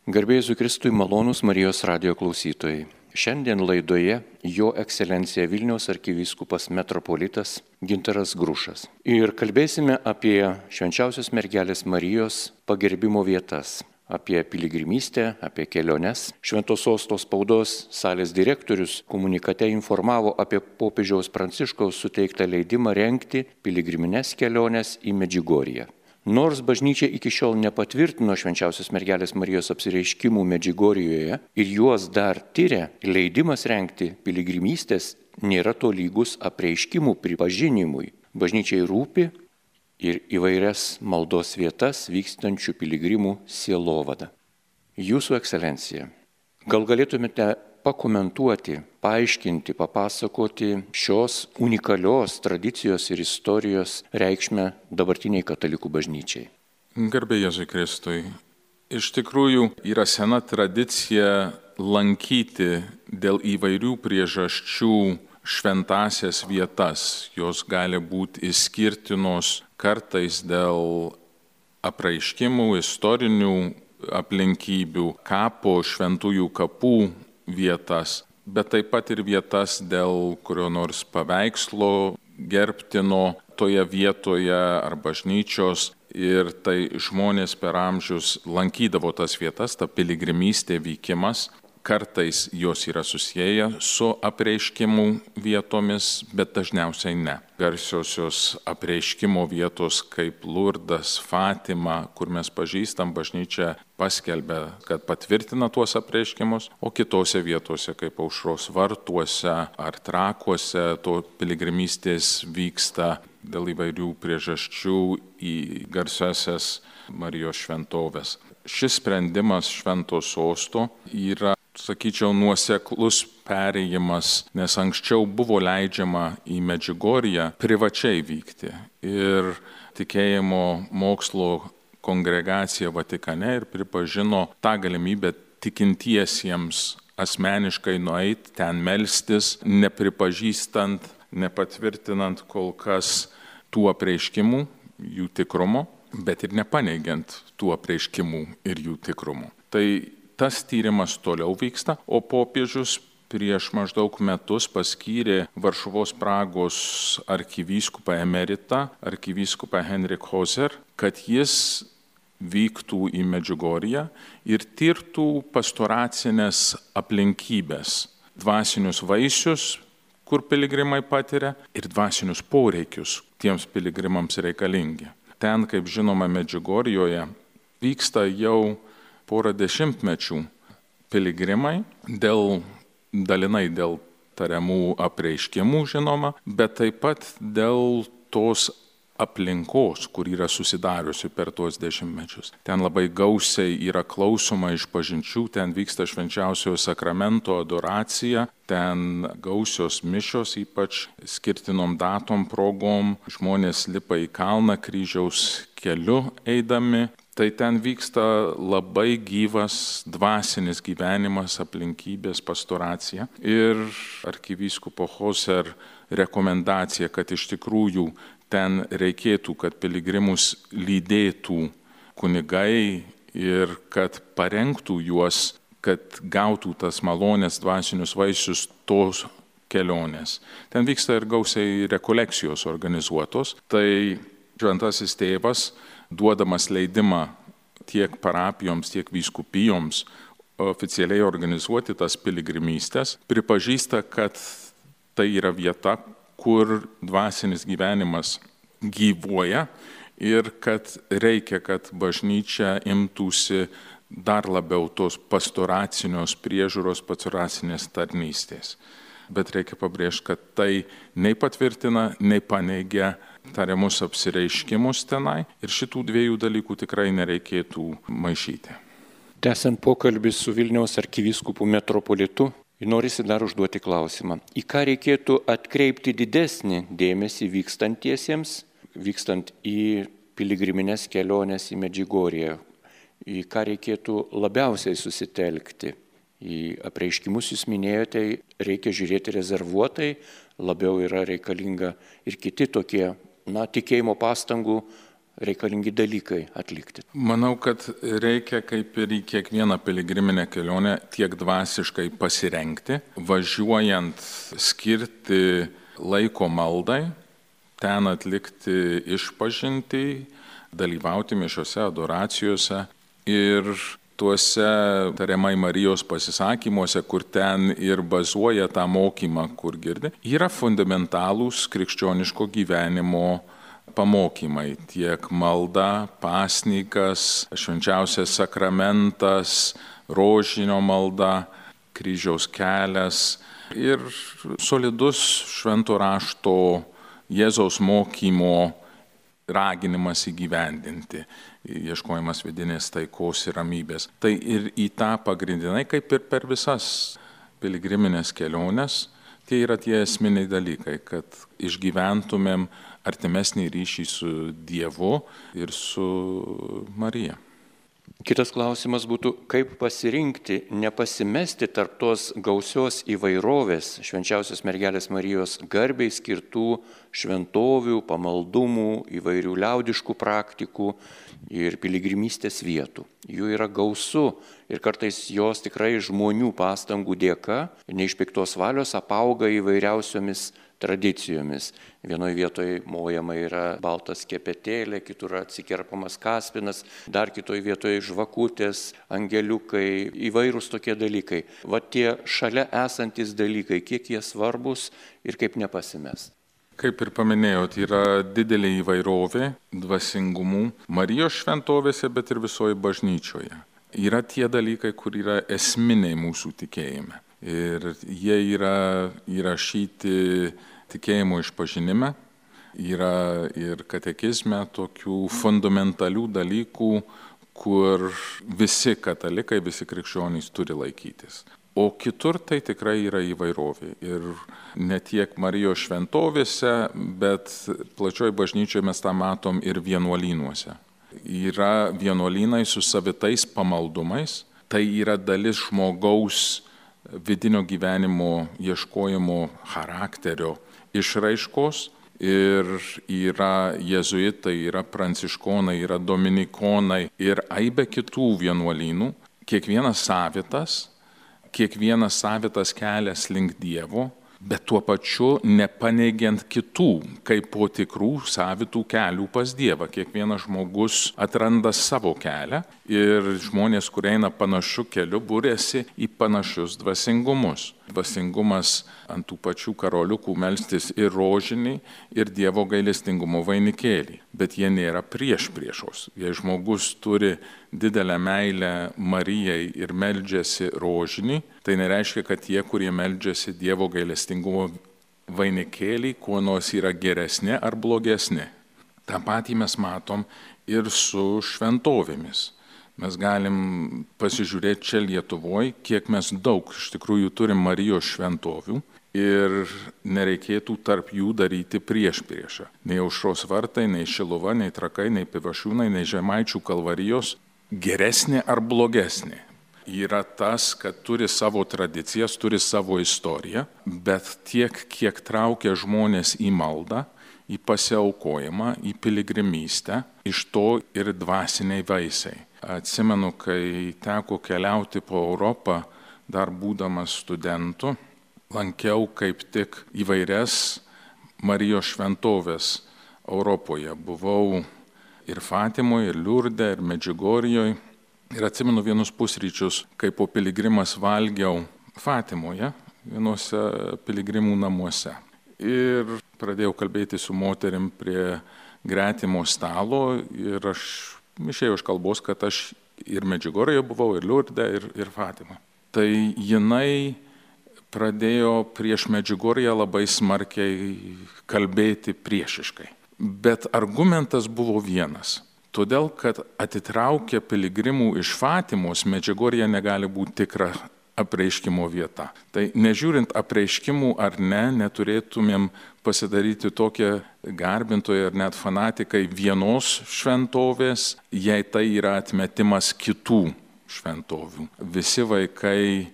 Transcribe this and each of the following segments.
Garbė Jėzui Kristui, malonūs Marijos radijo klausytojai. Šiandien laidoje Jo ekscelencija Vilniaus arkivyskupas metropolitas Gintaras Grušas. Ir kalbėsime apie švenčiausios mergelės Marijos pagerbimo vietas, apie piligrimystę, apie keliones. Šventos Sostos spaudos salės direktorius komunikate informavo apie popiežiaus Pranciškaus suteiktą leidimą rengti piligrimines keliones į Medžiugorję. Nors bažnyčia iki šiol nepatvirtino švenčiausios mergelės Marijos apsireiškimų Medžiugorjoje ir juos dar tyria, leidimas rengti piligrimystės nėra tolygus apreiškimų pripažinimui. Bažnyčiai rūpi ir įvairias maldos vietas vykstančių piligrimų sielovada. Jūsų ekscelencija, gal galėtumėte pakomentuoti, paaiškinti, papasakoti šios unikalios tradicijos ir istorijos reikšmę dabartiniai katalikų bažnyčiai? Garbė Jėzui Kristui. Iš tikrųjų yra sena tradicija lankyti dėl įvairių priežasčių šventąsias vietas. Jos gali būti išskirtinos kartais dėl apreiškimų, istorinių aplinkybių, kapo, šventųjų kapų vietas, bet taip pat ir vietas dėl kurio nors paveikslo gerbtino toje vietoje ar bažnyčios. Ir tai žmonės per amžius lankydavo tas vietas, ta piligrimystė vykimas. Kartais jos yra susiję su apreiškimų vietomis, bet dažniausiai ne. Garsiosios apreiškimo vietos kaip Lurdas, Fatima, kur mes pažįstam, bažnyčia paskelbė, kad patvirtina tuos apreiškimus, o kitose vietose kaip Aušros vartuose ar Trakuose to piligrimystės vyksta dėl įvairių priežasčių į garsiasias Marijos šventoves. Šis sprendimas Švento Sosto yra, sakyčiau, nuoseklus perėjimas, nes anksčiau buvo leidžiama į Medžiugorję privačiai vykti. Ir tikėjimo mokslo kongregacija Vatikane ir pripažino tą galimybę tikintiesiems asmeniškai nueiti ten melstis, nepripažįstant, nepatvirtinant kol kas tų apreiškimų, jų tikrumo, bet ir nepaneigiant tų apreiškimų ir jų tikrumo. Tai tas tyrimas toliau vyksta, o popiežius prieš maždaug metus paskyrė Varšuvos Pragos arkivyskupą emeritą, arkivyskupą Henrik Hoser, kad jis vyktų į Medžiugorję ir tirtų pastoracinės aplinkybės, dvasinius vaisius, kur piligrimai patiria, ir dvasinius poreikius tiems piligrimams reikalingi. Ten, kaip žinoma, Medžiugorjoje vyksta jau porą dešimtmečių piligrimai, dalinai dėl tariamų apreiškimų, žinoma, bet taip pat dėl tos aplinkos, kur yra susidariusi per tuos dešimtmečius. Ten labai gausiai yra klausoma išpažinčių, ten vyksta švenčiausiojo sakramento adoracija, ten gausios mišios, ypač skirtinom datom progom, žmonės lipa į kalną kryžiaus keliu eidami. Tai ten vyksta labai gyvas dvasinis gyvenimas, aplinkybės, pastoracija. Ir arkivyskupo Hoser rekomendacija, kad iš tikrųjų ten reikėtų, kad piligrimus lydėtų kunigai ir kad parengtų juos, kad gautų tas malonės dvasinius vaisius tos kelionės. Ten vyksta ir gausiai rekolekcijos organizuotos. Tai šventasis tėvas, duodamas leidimą tiek parapijoms, tiek vyskupijoms oficialiai organizuoti tas piligrimystės, pripažįsta, kad tai yra vieta, kur dvasinis gyvenimas gyvuoja ir kad reikia, kad bažnyčia imtųsi dar labiau tos pastoracinios priežiūros, pastoracinės tarnystės. Bet reikia pabrėžti, kad tai nei patvirtina, nei paneigia tariamus apsireiškimus tenai ir šitų dviejų dalykų tikrai nereikėtų maišyti. Tęsiant pokalbį su Vilniaus arkivyskupu metropolitu, norisi dar užduoti klausimą. Į ką reikėtų atkreipti didesnį dėmesį vykstant į piligrimines keliones į Medžiugorję? Į ką reikėtų labiausiai susitelkti? Į apreiškimus jūs minėjote, reikia žiūrėti rezervuotai, labiau yra reikalinga ir kiti tokie, tikėjimo pastangų reikalingi dalykai atlikti? Manau, kad reikia kaip ir į kiekvieną piligriminę kelionę tiek dvasiškai pasirengti, važiuojant skirti laiko maldai, ten atlikti išpažintį, dalyvauti mišiose, adoracijose ir tuose tariamai Marijos pasisakymuose, kur ten ir bazuoja tą mokymą, kur girdi, yra fundamentalūs krikščioniško gyvenimo pamokymai, tiek malda, pasninkas, švenčiausias sakramentas, rožinio malda, kryžiaus kelias ir solidus švento rašto Jėzaus mokymo raginimas įgyvendinti, ieškojimas vidinės taikos ir ramybės. Tai ir į tą pagrindinai, kaip ir per visas piligriminės keliones, tie yra tie esminiai dalykai, kad išgyventumėm artimesnį ryšį su Dievu ir su Marija. Kitas klausimas būtų, kaip pasirinkti, nepasimesti tarp tos gausios įvairovės švenčiausios mergelės Marijos garbei skirtų šventovių, pamaldumų, įvairių liaudiškų praktikų ir piligrimystės vietų. Jų yra gausu ir kartais jos tikrai žmonių pastangų dėka, ne iš piktos valios, apauga įvairiausiomis tradicijomis. Vienoje vietoje mojama yra baltas kepetėlė, kitur atsikerpamas kaspinas, dar kitoje vietoje žvakutės, angeliukai, įvairūs tokie dalykai. Va tie šalia esantis dalykai, kiek jie svarbus ir kaip nepasimest. Kaip ir paminėjot, yra didelė įvairovė dvasingumų Marijos šventovėse, bet ir visoje bažnyčioje. Yra tie dalykai, kur yra esminiai mūsų tikėjime. Ir jie yra įrašyti tikėjimo išpažinime, yra ir katekizme tokių fundamentalių dalykų, kur visi katalikai, visi krikščionys turi laikytis. O kitur tai tikrai yra įvairovė. Ir ne tiek Marijos šventovėse, bet plačioj bažnyčioje mes tą matom ir vienuolynuose. Yra vienuolynai su savitais pamaldumais, tai yra dalis žmogaus vidinio gyvenimo ieškojimo charakterio išraiškos ir yra jėzuitai, yra pranciškonai, yra dominikonai ir aibė kitų vienuolynų, kiekvienas savitas kelias link Dievo, bet tuo pačiu nepaneigiant kitų, kaip po tikrų savitų kelių pas Dievą. Kiekvienas žmogus atranda savo kelią ir žmonės, kurie eina panašiu keliu, būrėsi į panašius dvasingumus. Dvasingumas ant tų pačių karoliukų melstis ir rožinį, ir Dievo gailestingumo vainikėlį. Bet jie nėra priešos. Jei žmogus turi didelę meilę Marijai ir meldžiasi rožinį, tai nereiškia, kad tie, kurie meldžiasi Dievo gailestingumo vainikėlį, kuo nors yra geresni ar blogesni. Ta patį mes matom ir su šventovėmis. Mes galim pasižiūrėti čia Lietuvoje, kiek mes daug iš tikrųjų turim Marijos šventovių ir nereikėtų tarp jų daryti priešpriešą. Nei Aušros vartai, nei Šiluva, nei Trakai, nei Pivašiūnai, nei Žemaičių kalvarijos geresnė ar blogesnė. Yra tas, kad turi savo tradicijas, turi savo istoriją, bet tiek, kiek traukia žmonės į maldą, į pasiaukojimą, į piligrimystę, iš to ir dvasiniai vaisiai. Atsimenu, kai teko keliauti po Europą, dar būdamas studentu, lankiau kaip tik įvairias Marijos šventovės Europoje. Buvau ir Fatimoje, ir Liurde, ir Medžiugorjoje. Ir atsimenu vienus pusryčius, kai po piligrimas valgiau Fatimoje, vienuose piligrimų namuose. Ir pradėjau kalbėti su moterim prie gretimo stalo ir aš išėjau iš kalbos, kad aš ir Medžiugorjoje buvau, ir Liurde, ir Fatimoje. Tai jinai pradėjo prieš Medžiugorję labai smarkiai kalbėti priešiškai. Bet argumentas buvo vienas. Todėl, kad atitraukia piligrimų iš Fatimos, Medžiugorjė negali būti tikra apreiškimo vieta. Tai nežiūrint apreiškimų ar ne, neturėtumėm pasidaryti tokią garbintoją ar net fanatikai vienos šventovės, jei tai yra atmetimas kitų šventovių. Visi vaikai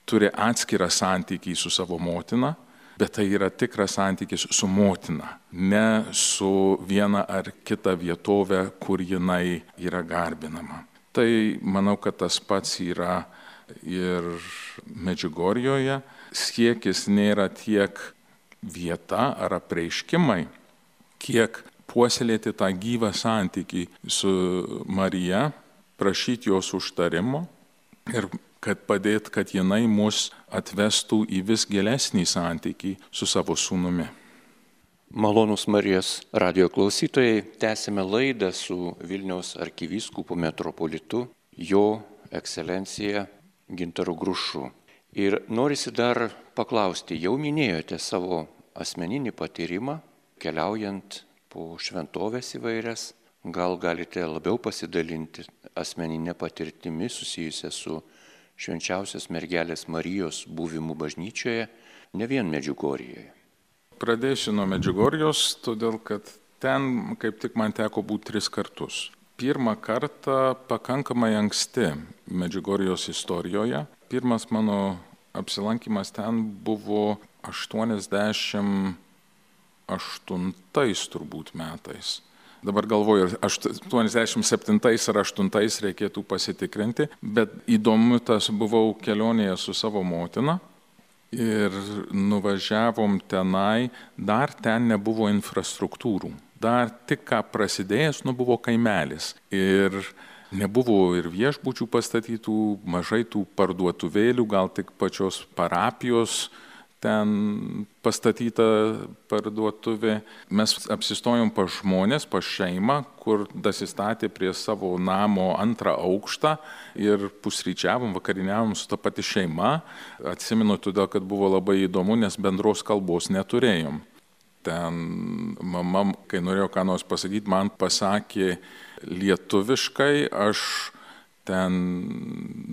turi atskirą santykį su savo motina, bet tai yra tikras santykis su motina, ne su viena ar kita vietovė, kur jinai yra garbinama. Tai manau, kad tas pats yra ir Medžiugorjoje. Siekis nėra tiek vieta ar apreiškimai, kiek puoselėti tą gyvą santykį su Marija, prašyti jos užtarimo ir kad padėt, kad jinai mus atvestų į vis gilesnį santykį su savo sūnumi. Malonūs Marijos radijo klausytojai, tęsime laidą su Vilniaus arkivyskupu metropolitu, jo ekscelencija Gintaru Grušu. Ir norisi dar paklausti, jau minėjote savo asmeninį patyrimą, keliaujant po šventovės įvairias, gal galite labiau pasidalinti asmeninę patirtimį susijusią su Švenčiausios mergelės Marijos buvimu bažnyčioje, ne vien Medžiugorjoje. Pradėsiu nuo Medžiugorjos, todėl kad ten kaip tik man teko būti 3 kartus. Pirmą kartą pakankamai anksti Medžiugorjos istorijoje. Pirmas mano apsilankimas ten buvo 88 turbūt metais. Dabar galvoju, 87 ar 8 reikėtų pasitikrinti, bet įdomu, tas buvau kelionėje su savo motina ir nuvažiavom tenai, dar ten nebuvo infrastruktūrų, dar tik ką prasidėjęs, buvo kaimelis ir nebuvo ir viešbučių pastatytų, mažai tų parduotuvėlių, gal tik pačios parapijos ten pastatyta parduotuvė. Mes apsistojom pas žmonės, pas šeimą, kur dasistatė prie savo namo 2 aukštą ir pusryčiavom, vakariniavom su ta pati šeima. Atsimenu todėl, kad buvo labai įdomu, nes bendros kalbos neturėjom. Ten mama, kai norėjo ką nors pasakyti, man pasakė lietuviškai, aš ten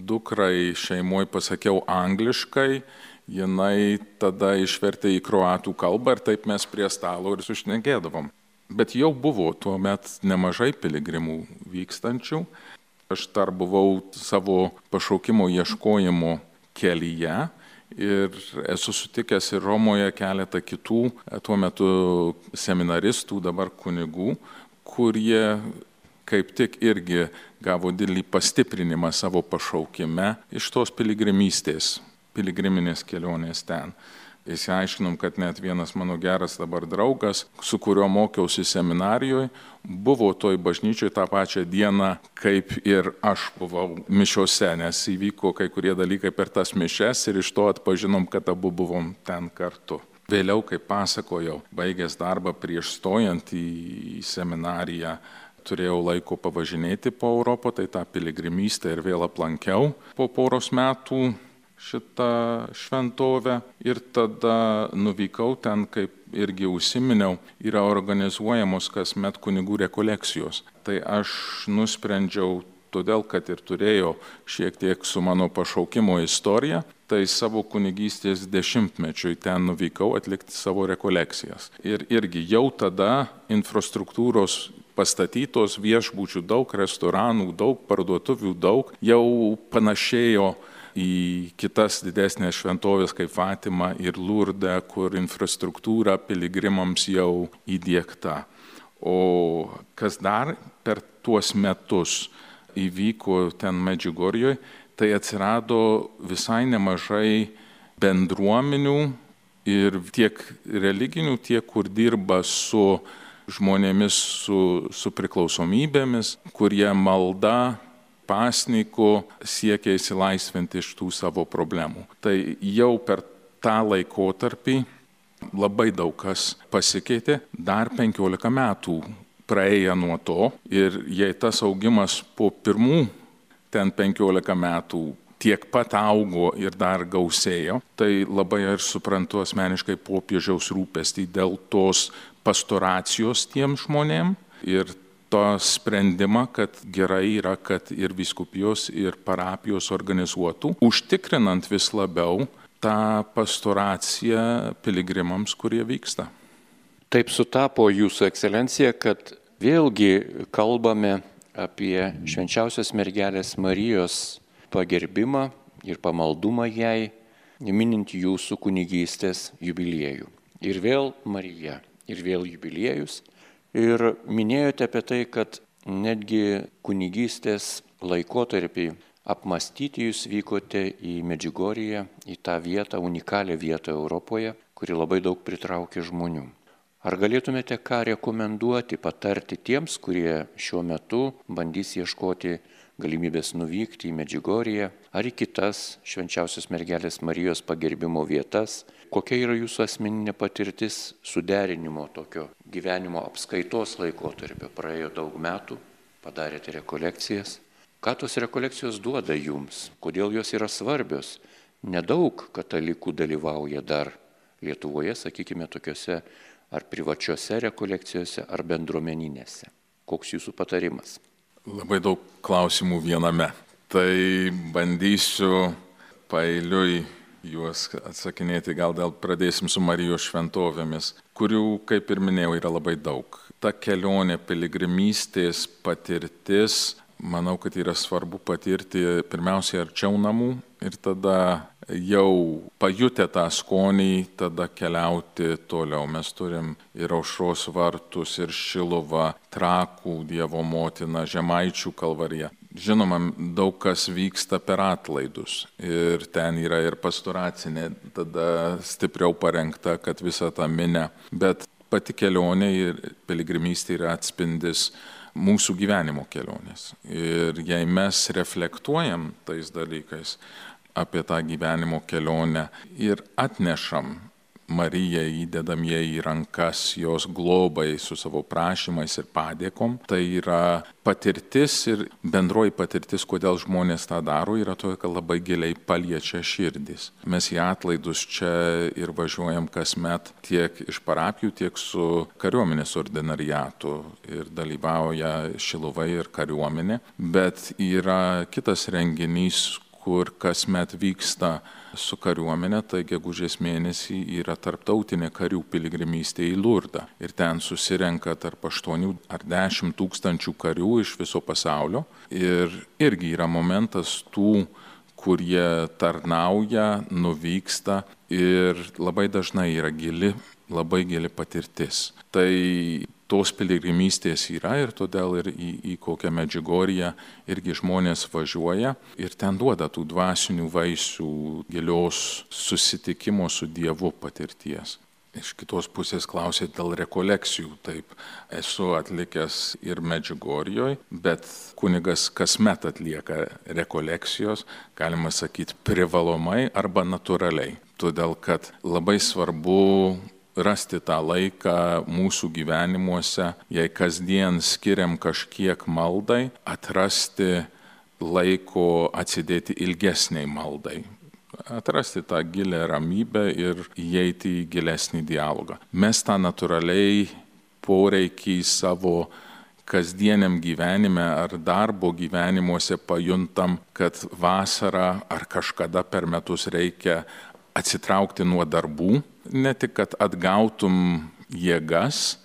dukrai šeimoje pasakiau angliškai, jinai tada išvertė į kroatų kalbą ir taip mes prie stalo ir sušnekėdavom. Bet jau buvo tuo met nemažai piligrimų vykstančių. Aš dar buvau savo pašaukimo ieškojimo kelyje ir esu sutikęs ir Romoje keletą kitų tuo metu seminaristų, dabar kunigų, kurie kaip tik irgi gavo didelį pastiprinimą savo pašaukime iš tos piligrimystės. Piligriminės kelionės ten. Įsiaiškinom, kad net vienas mano geras dabar draugas, su kuriuo mokiausi seminarijoje, buvo toj bažnyčioj tą pačią dieną, kaip ir aš buvau mišiose, nes įvyko kai kurie dalykai per tas mišes ir iš to atpažinom, kad abu buvom ten kartu. Vėliau, kaip pasakojau, baigęs darbą prieš stojant į seminariją, turėjau laiko pavažinėti po Europą, tai tą piligrimystę ir vėl aplankiau po poros metų šitą šventovę ir tada nuvykau ten, kaip irgi užsiminiau, yra organizuojamos kasmet kunigų rekolekcijos. Tai aš nusprendžiau, todėl kad ir turėjau šiek tiek su mano pašaukimo istorija, tai savo kunigystės 10-mečiui ten nuvykau atlikti savo rekolekcijas. Ir irgi jau tada infrastruktūros pastatytos, viešbučių daug, restoranų daug, parduotuvių daug, jau panašėjo į kitas didesnės šventovės kaip Fatima ir Lurde, kur infrastruktūra piligrimams jau įdiegta. O kas dar per tuos metus įvyko ten Medžiugorjoje, tai atsirado visai nemažai bendruomenių ir tiek religinių, tiek kur dirba su žmonėmis su priklausomybėmis, kurie malda pasniku siekia įsilaisvinti iš tų savo problemų. Tai jau per tą laikotarpį labai daug kas pasikeitė, dar 15 metų praėjo nuo to ir jei tas augimas po pirmų ten 15 metų tiek pat augo ir dar gausėjo, tai labai ir suprantu asmeniškai popiežiaus rūpestį dėl tos pastoracijos tiem žmonėm ir to sprendimą, kad gerai yra, kad ir vyskupijos, ir parapijos organizuotų, užtikrinant vis labiau tą pastoraciją piligrimams, kurie vyksta. Taip sutapo Jūsų ekscelencija, kad vėlgi kalbame apie Švenčiausios mergelės Marijos pagerbimą ir pamaldumą jai, minint jūsų kunigystės jubiliejų. Ir vėl Marija, ir vėl jubiliejus. Ir minėjote apie tai, kad netgi kunigystės laikotarpį apmastyti jūs vykote į Medžiugorję, į tą vietą, unikalią vietą Europoje, kuri labai daug pritraukia žmonių. Ar galėtumėte ką rekomenduoti, patarti tiems, kurie šiuo metu bandys ieškoti galimybės nuvykti į Medžiugorję ar į kitas Švenčiausios Mergelės Marijos pagerbimo vietas? Kokia yra jūsų asmeninė patirtis suderinimo tokio gyvenimo apskaitos laikotarpio? Praėjo daug metų, padarėte rekolekcijas. Ką tos rekolekcijos duoda jums? Kodėl jos yra svarbios? Nedaug katalikų dalyvauja dar Lietuvoje, sakykime, tokiuose ar privačiose rekolekcijose, ar bendruomeninėse. Koks jūsų patarimas? Labai daug klausimų viename. Tai bandysiu paeiliui juos atsakinėti, gal pradėsim su Marijos šventovėmis, kurių, kaip ir minėjau, yra labai daug. Ta kelionė, piligrimystės patirtis, manau, kad yra svarbu patirti pirmiausiai arčiau namų ir tada jau pajutę tą skonį, tada keliauti toliau. Mes turim ir Aušros vartus, ir Šiluvą, Trakų Dievo motiną, Žemaičių kalvariją. Žinoma, daug kas vyksta per atlaidus ir ten yra ir pastoracinė, tada stipriau parengta, kad visą tą minę. Bet pati kelionė ir piligrimystė yra atspindis mūsų gyvenimo kelionės. Ir jei mes reflektuojam tais dalykais apie tą gyvenimo kelionę ir atnešam Mariją, įdedam ją į rankas, jos globai su savo prašymais ir padėkom, tai yra patirtis ir bendroji patirtis, kodėl žmonės tą daro, yra to, kad labai giliai paliečia širdis. Mes į atlaidus čia ir važiuojam kasmet tiek iš parapijų, tiek su kariuomenės ordinariatu ir dalyvauja Šiluva ir kariuomenė, bet yra kitas renginys, kur kasmet vyksta su kariuomenė, tai gegužės mėnesį yra tarptautinė karių piligrimystė į Lurdą. Ir ten susirenka tarp 8 ar 10 tūkstančių karių iš viso pasaulio. Ir irgi yra momentas tų, kurie tarnauja, nuvyksta ir labai dažnai yra labai gili patirtis. Tai tos piligrimystės yra ir todėl ir į kokią Medžiugorję irgi žmonės važiuoja ir ten duoda tų dvasinių vaisių, gilios susitikimo su Dievu patirties. Iš kitos pusės klausėt dėl rekolekcijų. Taip, esu atlikęs ir Medžiugorjoj, bet kunigas kasmet atlieka rekolekcijos, galima sakyti, privalomai arba natūraliai. Todėl, kad labai svarbu rasti tą laiką mūsų gyvenimuose, jei kasdien skiriam kažkiek maldai, atrasti laiko atsidėti ilgesniai maldai. Atrasti tą gilę ramybę ir įeiti į gilesnį dialogą. Mes tą natūraliai poreikį savo kasdieniam gyvenime ar darbo gyvenimuose pajuntam, kad vasarą ar kažkada per metus reikia atsitraukti nuo darbų, ne tik, kad atgautum jėgas,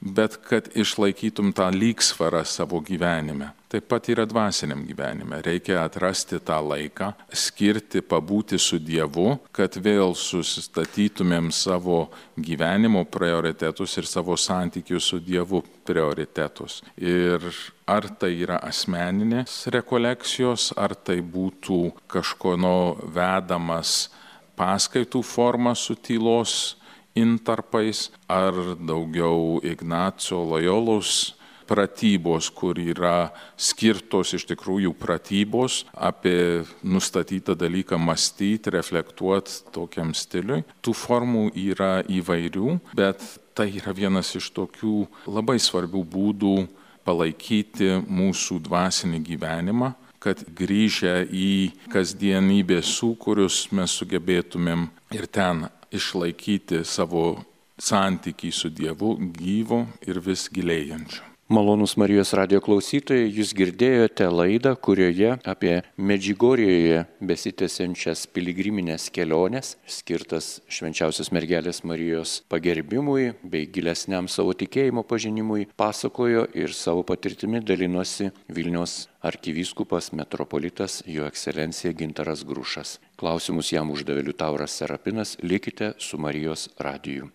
bet kad išlaikytum tą lygsvarą savo gyvenime. Taip pat yra dvasiniam gyvenime. Reikia atrasti tą laiką, skirti, pabūti su Dievu, kad vėl susistatytumėm savo gyvenimo prioritetus ir savo santykių su Dievu prioritetus. Ir ar tai yra asmeninės rekolekcijos, ar tai būtų kažkono vedamas paskaitų forma su tylos intarpais, ar daugiau Ignaco Lojolos pratybos, kur yra skirtos iš tikrųjų pratybos apie nustatytą dalyką mąstyti, reflektuoti tokiam stiliui. Tų formų yra įvairių, bet tai yra vienas iš tokių labai svarbių būdų palaikyti mūsų dvasinį gyvenimą, kad grįžę į kasdienybės sūkurius mes sugebėtumėm ir ten išlaikyti savo santykį su Dievu gyvo ir vis gilėjančiu. Malonūs Marijos radio klausytojai, jūs girdėjote laidą, kurioje apie Medžiugorjėje besitęsiančias piligriminės keliones, skirtas Švenčiausios mergelės Marijos pagerbimui bei gilesniam savo tikėjimo pažinimui, pasakojo ir savo patirtimi dalinosi Vilniaus arkivyskupas metropolitas Jo ekscelencija Gintaras Grušas. Klausimus jam uždavė Liutauras Serapinas, likite su Marijos radiju.